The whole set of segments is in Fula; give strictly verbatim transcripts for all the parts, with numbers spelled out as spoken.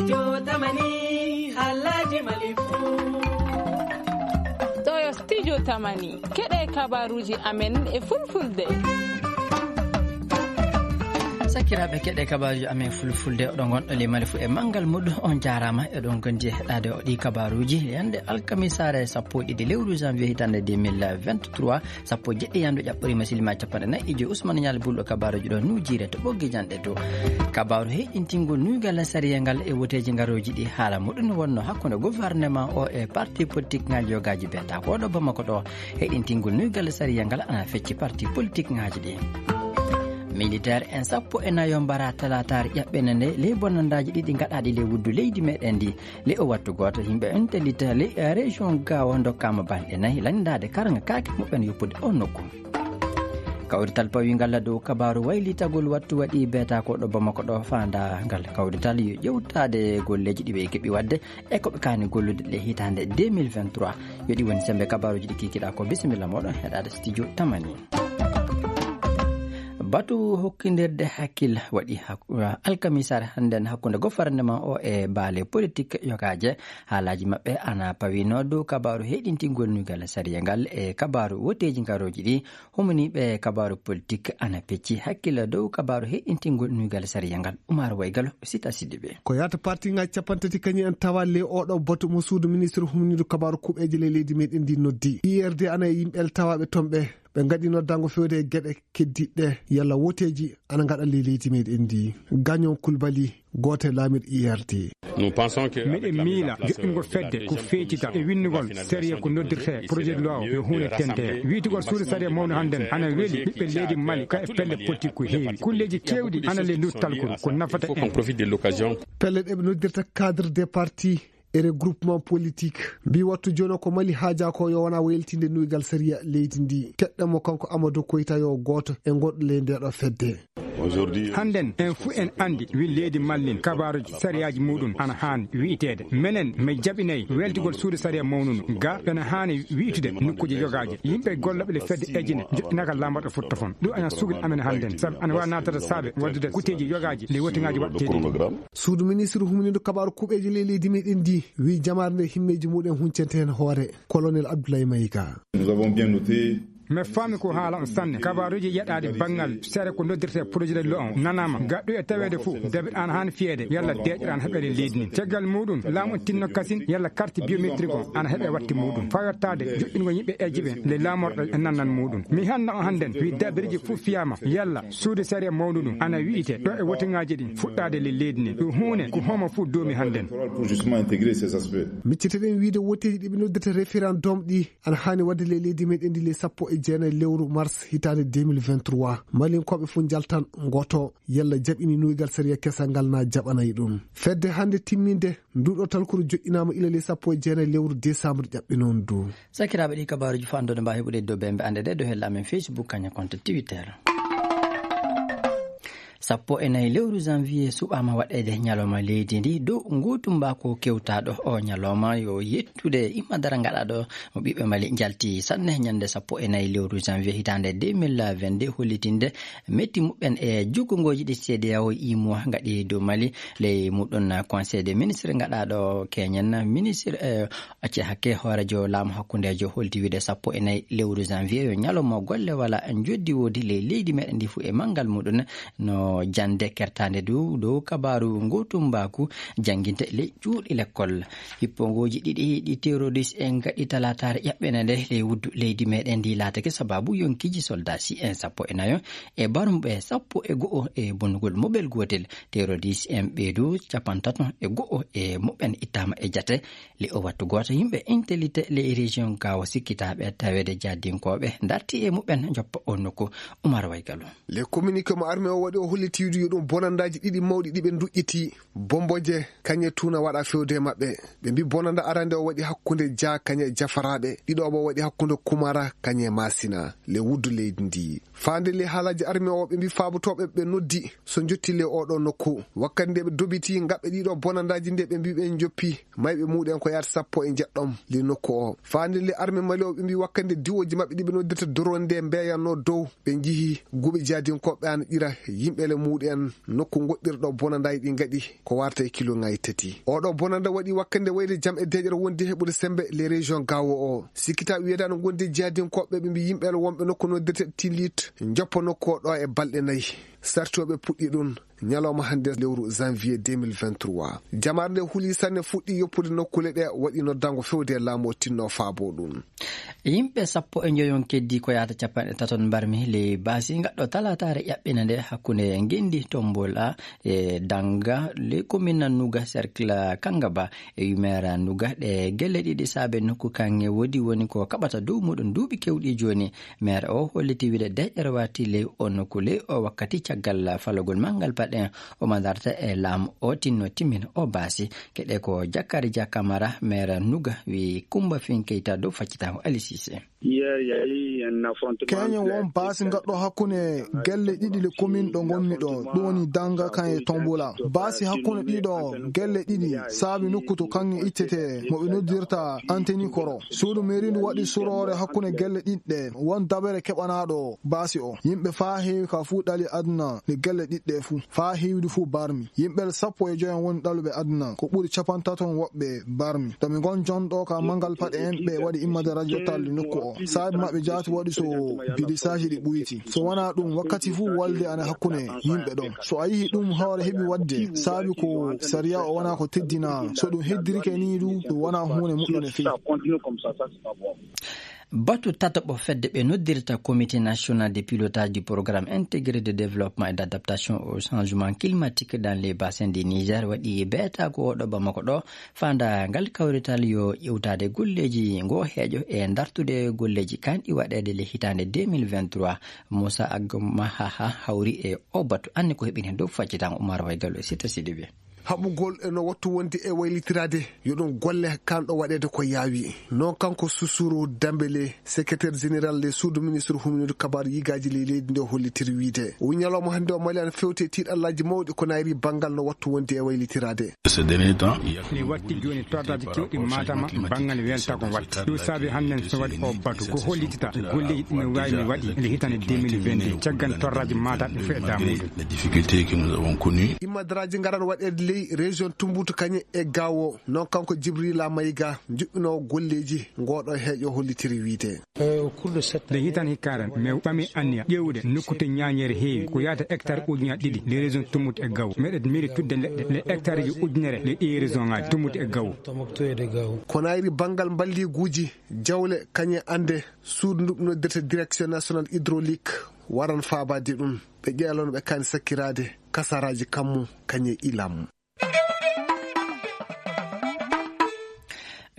Yo tamani, halaji mali fu. Ɗo yo studio tamani. Keɗe kabaruji amen e fulfulde. Sakiraaɓe, keɗe kabaruji amen fulfulde, oɗon ngonɗo le mali fu e manngal muɗum. On jaaraama, eɗon gondi e heɗaade o ɗi kabaruji. Yande alkamisaare sappo e ɗiɗi lewru janvier hitaande deux mille vingt-trois, sappo e jeɗɗi yandu ƴaɓɓoriima silimaji capanɗe nayi e joyi. Ousmane Nial Bulɗo kabaruji ɗo nujire to ɓoggi janɗe to. Kabaru heyɗintingol nuygal sariya ngal e woteeji ngarooji ɗi, haala muɗum wonno hakkunde gouvernement o e parti politique ngaji yogaaji beeta ko ɗo Bamako ɗo. Heyɗintingol nuygal sariya ngal ana fecci parti politique ngaji ɗi. Militaire en sappo e nayo mbara talataare ƴaɓɓene nde ley bonandaaji ɗiɗi gaɗaaɗi ley wuddu leydi meɗen ndi. Le o wattu gooto, yimɓe intelite le région Gao ndokkaama balɗe nayi lanndaade karanga kaake muɓɓen yoppude o nokku. Kawrital pawingal dow kabaru waylitagol wattu waɗi beeta ko ɗo Bamako ɗo. Faandagal kawrital yo ƴewtaade golleeji ɗi ɓe keɓi waɗde e ko ɓe kaani gollude ɗe hitaande deux mille vingt-trois. Yo ɗi woni sembe kabaruji ɗi kikiɗa ko. Bisimilla moɗon heɗaade studio tamani. Batu hokkindirde hakkil waɗi hak-, alkamisare hannden hakkunde gouvernement o e baale politique yogaaje. Haalaji maɓɓe ana pawino dow kabaru heyɗintingol nuygal sariya ngal e kabaru woteeji ngarooji ɗi. Humaniiɓe kabaru politique ana pecci hakkil dow kabaru heyɗintingol nuygal sariya ngal. Umar Waygalo, Sita Sidibe. Ko yata parti ngaji capanɗe tati kañum en tawa le oɗo batu mo suudu ministre humniiɗo kabaru kuɓeeje le leydi meɗen ndi noddi. I R D ana e yimɓe tawaaɓe toon ɓe. Ɓe ngaɗi noddango fewde e geɗe keddiɗe yalla woteeji ana ngaɗa le leydi meɗen ndi. Gañon Kulbali, gooto e laamirɗo I R D. Miɗen miila joɗɗingol fedde ko feecital e winndugol sariya ko noddirte projet de loi o yo huunde tente. Wiitugol suudu sariya mawnu hannden ana weli ɓiɓɓe leydi Mali ka e pelle politique ko heewi. Kulleeji keewɗi ana le ndu talkuru ko nafata en. Pelle ɗe ɓe noddirta cadre des partis e regroupement politique. Mbi wattu jono ko Mali haaja ko yo wona weltinde nuygal sariya leydi ndi. Keɗɗen mo kanko Amadou Koyta yo gooto e goɗɗo ley ndeɗo fedde. Hannden en fu en anndi wi leydi Mali ndin kabaruji sariyaaji muɗum ana haani wi'iteede. Menen mi jaɓinay weltugol suudu sariya mawnunu ga ɓena haani wi'itude nokkuuje yogaaje. Yimɓe gollooɓe le fedde ejine joɗɗinaka laamorɗo fottofon. Ɗum ana sugli amen hannden sabi ana waawi naatata saabe waddude kuteeji yogaaji le wotingaaji waɗteeɗi. Suudu ministre humniiɗo kabaru kuɓeeji le leydi meɗen ndi wi jamaare nde himmeeji muɗum huncente heen hoore. Colonel Abdoulaye Maïga. Nous avons bien noté. Mi faami ko haala on sanne. Kabaaruuji yeɗaade banngal sere ko noddirtee projet de loi on nanaama. Gaɗɗo e taweede fof, debit ana haani fiyeede, yalla deeƴre ana heɓeede leydi ndin. Caggal muuɗum, laamu on tinno kasin, yalla carte biométrique on ana heɓe watte muuɗum. Fayottaade joɗɗingol yimɓe ejiɓe nde laamorɗo e nannan muuɗum. Mi hanna on hannden, wi dabiriji fof fiyaama, yalla suudu sariya mawnuɗum ana wi'ite ɗo e wotingaaji ɗin fuɗɗaade le leydi ndin. Ɗum huune ko homo fof doomi hannden. Micciteɗen wiide woteeji ɗi ɓe noddirta référendum ɗi ana haani waɗde le leydi meɗen ndi le sappo e jeenayi lewru mars hitaande deux mille vingt-trois. Malinkooɓe fof njaltan ngoto yalla jaɓini nuygal sariya kesal ngal na jaɓanay ɗum. Fedde hannde timminde nduɗo talkuru joɗɗinaama ila le sappo e jeenayi lewru décembre ƴaɓɓe noon du. Sakiraaɓe, ɗi kabaaruji fanɗude mbawi heɓude dow ɓe ɓe annde ɗe dow hella amen Facebook kañum konto Twitter. Sappo e nayi lewru janvier suɓaama waɗeede ñalawma leydi ndi dow ngutumbaako kewtaaɗo. O ñalawma yo yettude imma dara ngaɗaaɗo mo ɓiɓɓe Mali njalti sanne ñande sappo e nayi lewru janvier hitaande deux mille vingt-deux, hollitinde metti muɓɓen e jukkongoji ɗi C D A O imo ngaɗi dow Mali. Ley muɗum conseil des ministres ngaɗaaɗo keñen ministre, eh, acce hakke hoorejo laamu hakkundejo holti wiide sappo e nayi lewru janvier yo ñalawma golle wala joddi woodi ley leydi meɗen ndi fu e manngal muɗum. No jande kertande du dow kabaaru ngutumbaku jannginte ley cuuɗi lekkol. Hippongoji ɗiɗi ɗi terroriste en gaɗi talataare ƴaɓɓene nde ley wuddu leydi meɗen ndi laatake sababu yonkiji soldat si en sappo e nayo e barumɓe sappo e go'o e bonnugol moɓel gootel. Terroriste en ɓeydu capantato e go'o e muɓɓen ittaama e jate. Le o wattu gooto yimɓe intelite le région Gao sikkitaaɓe taweede jadinkooɓe darti e muɓɓen joppa o nokku. Umar Waygalo. Le communiqué mo armée o waɗi o holliti wiide yo ɗum bonandaaji ɗiɗi mawɗi ɗi ɓe nduƴƴiti. Bomboje kañe tuna waɗa fewde e maɓɓe. Ɓe mbi bonanda arande o waɗi hakkunde Dia kañe e Jafaraaɓe. Ɗiɗo o waɗi hakkunde Kumara kañe e Masina. Le wuddu leydi ndi. Faande le haalaji armée o ɓe mbi faabotooɓe ɓe noddi so jotti le oɗo nokku. Wakkati nde ɓe dobiti ngaɓɓe ɗiɗo bonandaaji nde ɓe mbi ɓe joppi. Mayɓe muɗen ko yaata sappo e jeɗɗo le nokku o. Faande le armée Mali o ɓe mbi wakkati nde diwoji maɓɓe ɗi ɓe noddirta drone nde mbeyanno dow. Ɓe njihi guɓe jadinkooɓe ana ƴira yimɓe le muɗen nokku goɗɗirɗo bonandaaji ɗi ngaɗi ko warta e kilo ngayi tati. Oɗo bonanda waɗi wakkande wayde jam e deƴere wondi heɓude sembe les régions gawo o. Sikkita wiyeede no gondi jihadinkoɓe ɓe mbi yimɓe wonɓe nokku noddirte Tilit joppa nokku o ɗo e balɗe nayi. Sartoɓe puɗɗi ɗum ñalawma hannde lewru janvier deux mille vingt-trois. Jamaare nde huli sanne fuɗɗi yoppude nokkule ɗe waɗi noddango fewde e laamu o tinno faabo ɗum. Yimɓe sappo e njoyon keddi ko yahata capanɗe taton mbarmi ley baasi ngaɗɗo talataare ƴaɓɓina nde hakkunde ngendi Tombola e Danga le commune Nuga cercle Kangaba e yumera Nuga. Ɗe gelle ɗiɗi saabe nokku kanŋe woodi woni ko kaɓata dow muɗum duuɓi kewɗi jooni. Maire o holliti wiide deƴƴere wati ley o nokku ley o wakkati caggal falogol manngal paɗen o madarta e laamu o tinno timmin o baasi. Keɗe ko Jakari Dia Kamara, maire Nuga, wi Kumba Fin Keita dow faccitango Ali Cissé. Hier, il y a eu un affrontement. Keñen won baasi ngaɗɗo hakkunde gelle ɗiɗi le commune ɗo ngonmi ɗo, ɗum woni Danga kan e Tombola. Baasi hakkunde ɗiɗo gelle ɗiɗi saabi nokku to kanŋe ittete mo ɓe noddirta Anteni Koro. Suudu mairie ndu waɗi suroore hakkunde gelle ɗiɗɗe, won dabere keɓanaɗo baasi o. Yimɓe faa heewi ka fuu ɗali aduna nde gelle ɗiɗɗe fuu. Faa heewdi fuu barmi. Yimɓe sappo e joyo woni ɗaluɓe aduna. Ko ɓuri capanɗe taton woɓɓe barmi. To mi ngon jonɗo ka mangal paɗe en ɓe waɗi immade radio talli nokku o. Saabi maɓɓe jaati waɗi so bidisaaji ɗi ɓuyti. So wonaa ɗum, wakkati fuu wolde ana hakkunde yimɓe ɗon. So a yihi ɗum hoore heɓi waɗde, saabi ko sariya o wonaa ko teddina. So ɗum heddirike nii du, ɗum wonaa huunde moƴƴunde fii. Batu tataɓo fedde ɓe noddirta Comité National de Pilotage du Programme Intégré de Développement et d'Adaptation au Changement Climatique dans les Bassins du Niger waɗi beetaago oɗo Bamako ɗo, faandaangal kawrital yo ƴewtaade golleeji ngo heeƴo e dartude golleeji kanɗi waɗeede le hitaande deux mille vingt-trois. Moussa Agmahaha hawri e o batu, anne ko heɓini dow faccitan Oumar Waygallo e Sita Sidibé. Haɓugol e no wattu wonde e waylitiraade, yo ɗum golle kanɗo waɗeede ko yaawi. Non kanko Susuru Dambele, secrétaire général le suudu ministre huminoodu kabaaru yigaaji ley leydi nde hollitiri wiide. O wi ñalawma hannde o Mali ana fewte tiiɗallaaji mawɗi ko nayri banngal no wattu wonde e waylitiraade. Ces derniers temps, il y a ne watti jooni torraji kewɗi matama banngal welta ko watti. Ɗum saabi hannden so waɗi o batu ko hollitita golleeji ɗi no waawi mi waɗi nde hitande deux mille vingt-deux caggal torraji mataɓe fof e damuɗum. Les difficultés que nous avons connues. Immadaraaji ngaran waɗeede ley région Tumbutu Kañe e Gawo. Non kanko Jibrila Mayga, juɓɓinoowo golleeji ngoɗo heeƴo hollitiri wiide. Nde hitan hikkaren, mi ɓami anniya ƴeewude nokkute ñaañere heewi ko yaata hectare ujunaji ɗiɗi le région Tumbutu e Gawo. Meɗen miri tudde leɗɗe le hectareji ujunere le ɗi région ngaji Tumbutu e Gawo. Ko nayri banngal mballiguuji jawle kañe ande suudu ndu noddirta direction nationale hydraulique waran faabaade ɗum. Ɓe ƴeelano ɓe kaani sakkiraade kasaraaji kammu kañe ilam.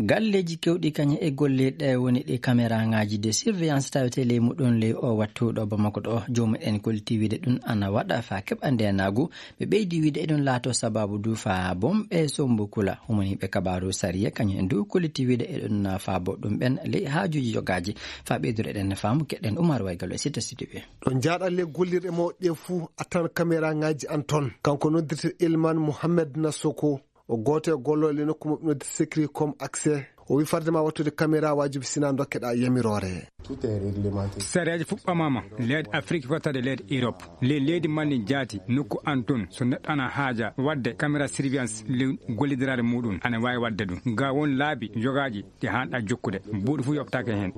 Galleeji kewɗi kañe e golle ɗe woni ɗi caméra ngaji de surveillance tawete ley muɗum ley o wattu ɗo Bamako ɗo. Joomumen en kolti wiide ɗum ana waɗa fa keɓa ndenagu. Ɓe ɓeydi wiide eɗum laato sababu du fa bomɓe sombo kula. Humaniiɓe kabaaru sariya kañum en du kolti wiide eɗum faabo ɗum ɓen ley haajuji jogaaji. Fa ɓeydude eɗen faamu keɗen Umar Waygallo e Sita Sidibé. Ɗo njaaɗa le gollirɗe mawɗe ɗe fuu a tan caméra ngaji an toon. Kanko noddirte Ilman Mohamed Nasoko, o gooto e gollooɓe le nokku mo ɓe noddirta Secret Com Accès. O wi farde ma wattude caméra waajibi sina dokkeɗa yamiroore. Tout est réglementé. Sareeji fuɗɗomaama leyɗe Afrique fottade leyɗe Europe. Le leydi Mali jaati nokku an toon so neɗɗo ana haaja wadde caméra surveillance le gollidiraade muɗum ana waawi wadde ɗum. Ga won laabi jogaaji ɗi haanɗa jokkude. Buuɗi fof yoɓtaake heen.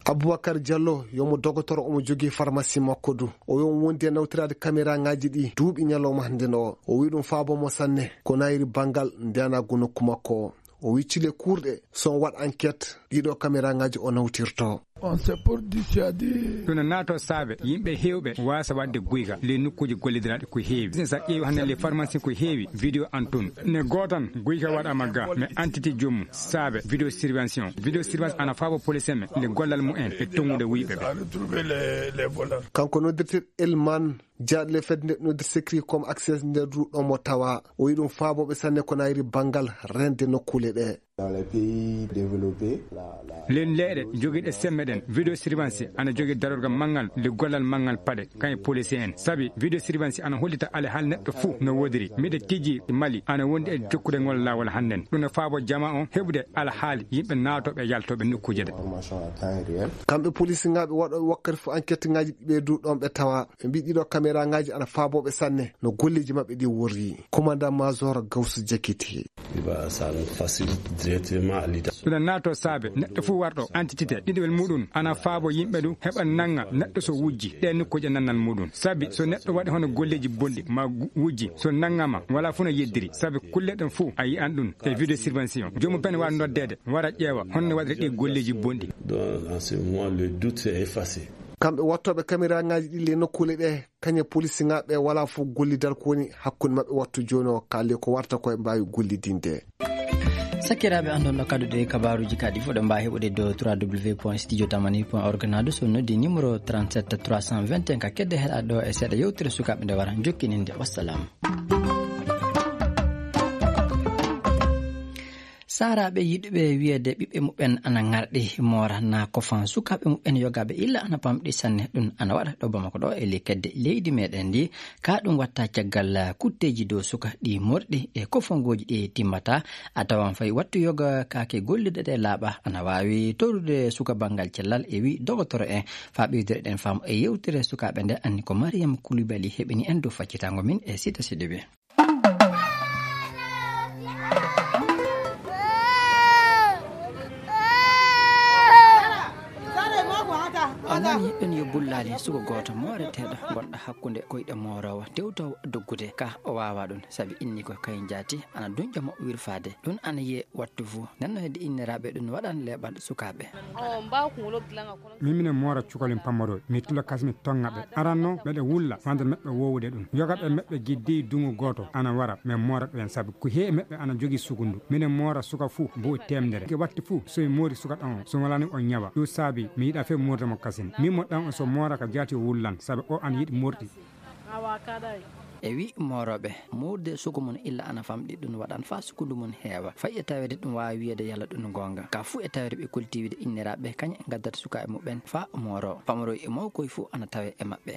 Aboubacar Diallo yomo dogotoro omo jogii pharmacie makko du. O wi omo wondi e nawtiraade caméra ngaji ɗi duuɓi ñalawma hannde no. O wi ɗum faabo mo sanne ko nayri banngal ndenagu nokku makko o. O wi cile kuurɗe so on waɗ enquête ɗiɗo caméra ngaji o nawtirto. On c'est pour dissuader. Ɗum no naato saabe yimɓe heewɓe waasa waɗde guyka ley nokkuuji gollidiraaɗi ko heewi. Sinno sa ƴeewi hannde le pharmacie ko heewi vidéo an toon. Ne gootan guyka waɗama ga mais entité joomum saabe vidéo surveillance. Vidéo surveillance ana faabo police men le gollal mumen e tongude wuyɓe ɓe. Kanko noddirte Elman jaaɗle fedde nde noddirte Secret Com Accès nder ruɗɗo mo tawa. O wi ɗum faabooɓe sanne ko nayri banngal rende nokkuule ɗe. Dans les pays développés, la, la, len leeɗe jogiiɗe semme ɗen, vidéo surveillance ana jogii darorgal manngal nde gollal manngal paɗe kan e policier en. Sabi vidéo surveillance ana hollita alhaali neɗɗo fuu no woodiri. Miɗo tijji Mali ana wondi e jokkude ngol laawol hannden. Ɗum no faabo jama on heɓude alhaali yimɓe naatooɓe e yaltooɓe nokkuuje ɗe. Information à temps réel. Kamɓe polisinŋaaɓe waɗooɓe wakkati fof enquête ŋaaji ɗi ɓe du ɗon ɓe tawa. Ɓe mbii ɗiɗo caméra ŋaaji ana faabooɓe sanne no golleeji maɓɓe ɗi worri. Commandant Major Gawsu Jakiti. Iba Saloum facilite directement à l'identité. Ɗum naato saabe neɗɗo fof warɗo entité ɗiɗowel muɗum ana faabo yimɓe ɗum heɓa nanga neɗɗo so wujji ɗe nokkuuje nannal muɗum. Sabi so neɗɗo waɗi hono golleeji bonɗi ma gu-, wujji so nangama wala fof no yeddiri. Sabi kulle ɗen fof a yi'an ɗum e vidéo surveillance on. Joomum pen waawi noddeede wara ƴeewa honno waɗiri ɗi golleeji bonɗi. Donc, en ce moment, le doute est effacé. Kamɓe wattooɓe caméra ŋaaji ɗi le nokkuule ɗe, kañe polisinŋaaɓe wala fof gollidal ko woni hakkunde maɓɓe wattu jooni o kaale ko warta koye mbaawi gollidinde. Sakiraaɓe, an ɗon ɗo kadduɗe e kabaaruuji kaɗi fof ɗo mbaawi heɓude dow trois w point studio tamani point org naadu so noddi numéro trente-sept trois cent vingt et un ka kedde heɗa ɗo e seeɗa yewtere sukaaɓe nde wara jokkininde. Wassalam. Saaraaɓe yiɗuɓe wiyeede ɓiɓɓe muɓɓen ana ŋarɗi moora na kofan sukaaɓe muɓɓen yogaaɓe illa ana pamɗi sanne. Ɗum ana waɗa ɗo Bamako ɗo e ley kedde leydi meɗen ndi. Ka ɗum watta caggal kutteeji dow suka ɗi morɗi e kofongooji ɗi timmata. A tawan fay wattu yoga kaake gollirɗe ɗe laaɓa ana waawi torude suka banngal cellal e wi dogotoro en. Faa ɓeydere ɗen faamu e yewtere sukaaɓe nde anni ko Mariam Koulibaly heɓini en dow faccitango min e Sita Sidibé. Almami ɗon yo bullaali suko gooto mooreteeɗo gonɗo hakkunde koyɗe mooroowo tewtoowo doggude ka o waawa ɗum sabi inni ko kayen jaati ana dunƴa mo wirfaade. Ɗum ana yiye wattu fuu. Nenno hedde inniraaɓe ɗum waɗan leeɓal sukaaɓe. Min minen moora cukalin pammaroy mi tilo kasmi tonga ɓe aranno meɗe wulla wande meɓɓe wowude ɗum yogaɓe meɓɓe giddi dungu gooto ana wara min moora ɗo en sabu ko heewi meɓɓe ana jogii sukundu minen moora suka fuu bu'u temdere ke watti fuu so mi moori suka ɗon o so walani o ñawa ɗum saabi mi yiɗa fe moorde mo kasin min mo ɗan o so moora ka jaati o wullan sabu o ana yiɗi morɗi. E wi moorooɓe moorde suku mum illa ana famɗi ɗum waɗan faa sukundu mum heewa fay e taweede ɗum waawi wiyeede yalla ɗum goonga ka fuu e taweede ɓe kolti wiide inniraaɓe kañe ngaddata sukaaɓe muɓɓen faa mooro pamoroy e mawkoy fuu ana tawe e maɓɓe.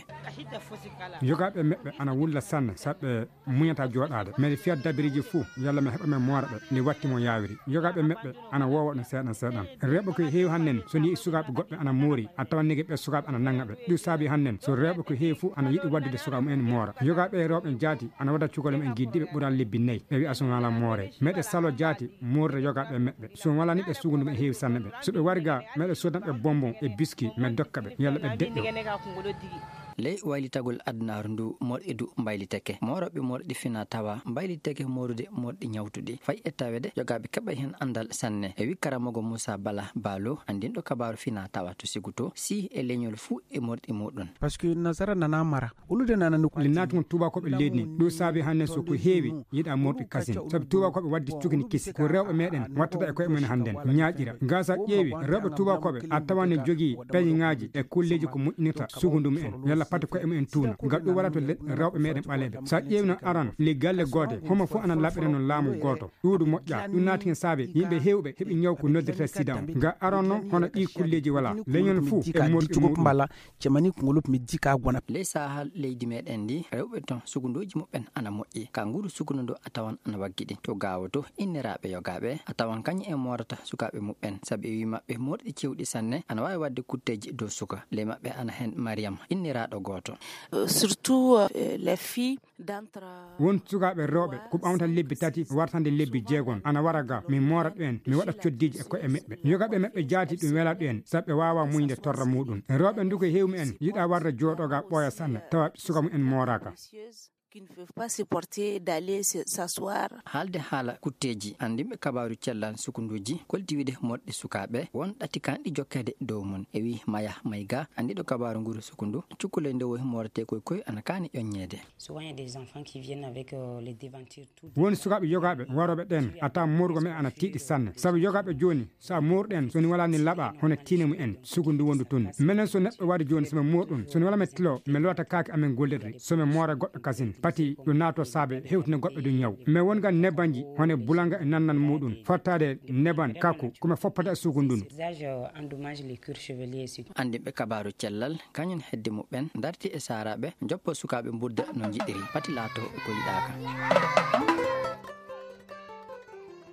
Yogaaɓe meɓɓe ana wulla sanne saɓɓe muñata jooɗaade mbeɗe fiya dabiriji fuu yalla mi heɓa men moora ɓe nde watti mo yaawiri. Yogaaɓe meɓɓe ana woowa ɗum seeɗan seeɗan. Rewɓe ko heewi hannen so ni sukaaɓe goɗɓe ana moori a tawan nege ɓe sukaaɓe ana nanga ɓe ɗum saabi hannen so rewɓe ko heewi fuu ana yiɗi waddude suka mumen moora. Yogaaɓe e rewɓe jaati ana wada cukole mumen giddiɓe ɓural lebbi nayi ɓe wi'a sumala moore meɗe salo jaati moorde yogaaɓe meɓɓe so walani ɓe sugundu ɓe heewi sanne ɓe so ɓe wari ga meɗe sodan ɓe bonbon e biski me dokka ɓe yalla ɓe deƴƴo. Ley waylitagol adunaaru ndu morɗi du mbayliteke mooroɓe morɗi fina tawa mbayliteke moorude morɗi ñawtuɗi fay e taweede yogaaɓe keɓa heen anndal sanne e wi karamogo Moussa Bala Balo anndinɗo kabaaru fina tawa to Sigu to si e leñol fuu e morɗi muɗum. Parce que nasara nana mara ulude nana nokku. Li naatugol tuubakooɓe leydi ndi ɗum saabi hannde so ko heewi yiɗa morɗi kasin sabi tuubakooɓe wadde cukini kisi ko rewɓe meɗen wattata e koye mumen hannden ñaaƴira. Gasa ƴeewi rewɓe tuubakooɓe a tawani jogii peñeŋaaji e kolleeji ko moƴƴinirta sugundu mumen yalla pati koye mumen tuuna ngal ɗum waɗa to le- rewɓe meɗen ɓaleeɓe so a ƴeewi noon aran li galle goote homo fof ana laɓɓira noon laamu gooto ɗuuɗu moƴƴa ɗum naati hen saabe yimɓe heewɓe heɓi ñaw ko noddirta sida on nga aran noon hono ɗi kolleeji wala leñol fof e morɗi muɗum. Cemani ko ngol mi jika gona. Ley saha leydi meɗen ndi rewɓe ton sugunduji muɓɓen ana moƴƴi ka nguru sugundu ndu a tawan ana waggiɗi to gawo to inniraaɓe yogaaɓe a tawan kañum en moorata sukaaɓe muɓɓen sabi e wi maɓɓe moorɗi cewɗi sanne ana waawi waɗde kutteeji dow suka ley maɓɓe ana heen Mariam inniraaɗo gooto. Surtout les filles d'entre. Won sukaaɓe rewɓe ko ɓamta lebbi tati wartande lebbi jeegon ana wara ga mi moora ɗum en mi waɗa coddiiji e koye meɓɓe yogaaɓe meɓɓe jaati ɗum wela ɗum en sabu ɓe waawa muñde torra muɗum rewɓe nduko heewmi en yiɗa warde jooɗoga ɓooya sanne tawa suka mum en mooraka. Qui ne peuvent pas supporter d'aller s'asseoir. Haalde haala kutteeji anndinɓe kabaaru cellal sukunduuji kolti wiide moɗɗi sukaaɓe won ɗati kanɗi jokkeede dow mum e wi maya mayga anndiɗo kabaaru nguru sukundu cukkuley ndewoy moorete koy koy ana kaani ƴoññeede. Souvent il y a des enfants qui viennent avec les devantures tout. Won sukaaɓe yogaaɓe warooɓe ɗen a tawa moorgo men ana tiiɗi sanne sabu yogaaɓe jooni so a moorɗen so ni wala ni laɓa hono tiine mum en sukundu wondu tun menen so neɗɗo wari jooni so mi moorɗum so ni wala mi tilo mi lowata kaake amen gollirɗe so mi moora goɗɗo kasin. Pati ɗo naato saabe hewtina goɗɗo ɗum ñaw. Mais won ngan nebanji, hone bulanga e nannan muɗum. Fottaade neban kakku, kome foppata e suugu ndun. Anndinɓe kabaaru cellal, kañum hedde muɓɓen, darti e saaraaɓe, joppo sukaaɓe mbudda no njiɗiri, pati laato ko yiɗaaka.